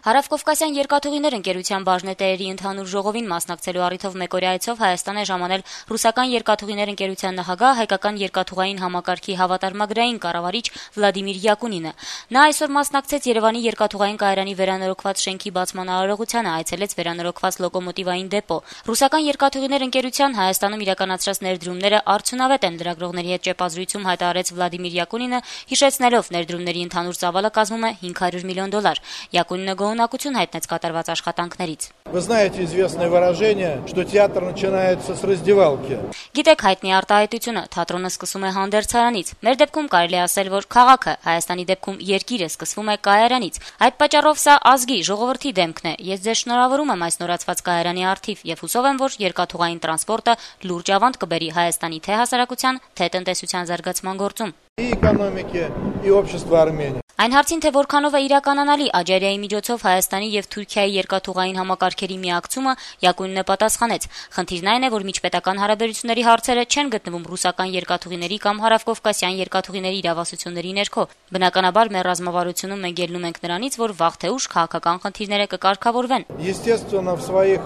Հարավկովկասյան երկաթուղիներ ընկերության բաժնետերերի ընդհանուր ժողովին մասնակցելու առիթով մեկօրյա այցով Հայաստան է ժամանել ռուսական երկաթուղիներ ընկերության նախագահ, հայկական երկաթուղային համակարգի հավատարմագրային կառավարիչ Վլադիմիր Յակունինը։ Նա այսօր մասնակցեց Երևանի երկաթուղային կայարանի վերանորոգված շենքի բացման արարողությանը, այցելեց վերանորոգված լոկոմոտիվային դեպո։ Ռուսական երկաթուղիներ ընկերության Հայաստանում իրականացրած ներդրումները արդյունավետ են, լրագրողների հետ ճեպազրույցում հայտարարեց Վլադիմիր Յակունինը, հիշեցնելով ներդրումների ընդհանուր ծավալը կազմում է $500 միլիոն։ Յակունինը գոհունակություն հայտնեց կատարված աշխատանքներից։ Вы знаете известное выражение, что театр начинается с раздевалки. Գիտեք հայտնի արտահայտությունը, թատրոնը սկսում է հանդերձարանից։ Մեր դեպքում կարելի ասել, որ քաղաքը, Հայաստանի դեպքում երկիրը սկսվում է կայարանից։ Այդ պատճառով սա ազգի, ժողովրդի դեմքն է։ Ես ձեզ շնորհավորում եմ այս նորացված կայարանի առթիվ եւ հուսով եմ, որ երկաթուղային տրանսպորտը լուրջ ավանդ կբերի Հայաստանի թե հասարակության, թե տնտեսության զարգացման գործում։ И экономики, и общества Армении. Այն հարցին, թե որքանով է իրականանալի Աջարիայի միջոցով Հայաստանի եւ Թուրքիայի երկաթուղային համակարգերի միակցումը, Յակունինը պատասխանեց. խնդիրն այն է, որ միջպետական հարաբերությունների հարցերը չեն գտնվում ռուսական երկաթուղիների կամ հարավկովկասյան երկաթուղիների իրավասությունների ներքո։ Բնականաբար մեր ռազմավարությունում մենք ելնում ենք նրանից, որ վաղ թե ուշ քաղաքական խնդիրները կկարգավորվեն։ Естественно, в своих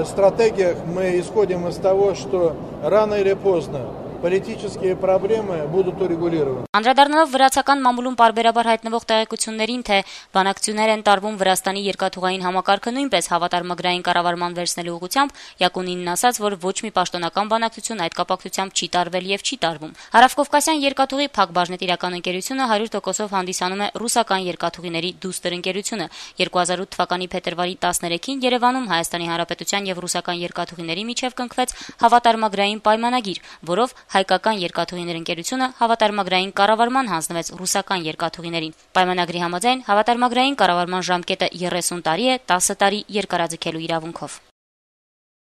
стратегиях мы исходим из того, что рано или поздно политические проблемы будут урегулированы. Անդրադառնալով վրացական մամուլում պարբերաբար հայտնվող տեղեկություններին, թե բանակցություններ են տարվում Վրաստանի երկաթուղային համակարգը նույնպես հավատարմագրային կառավարման վերցնելու ուղղությամբ, Յակունինն ասաց, որ ոչ մի պաշտոնական բանակցություն այդ կապակցությամբ չի տարվել եւ չի տարվում։ Հարավկովկասյան երկաթուղի փակ բաժնետիրական ընկերությունը 100%-ով հանդիսանում է ռուսական երկաթուղիների դուստր ընկերությունը։ 2008 թվականի փետրվարի 13-ին Երևանում Հայաստանի Հանրապետության եւ ռուսական երկաթուղիների միջև կնքվեց հավատարմագրային պայմանագիր, որով հայկական երկաթուղիներ ընկերությունը հավատարմագրային կառավարման հանձնվեց ռուսական երկաթուղիներին։ Պայմանագրի համաձայն հավատարմագրային կառավարման ժամկետը 30 տարի է, 10 տարի երկարաձգելու իրավունքով։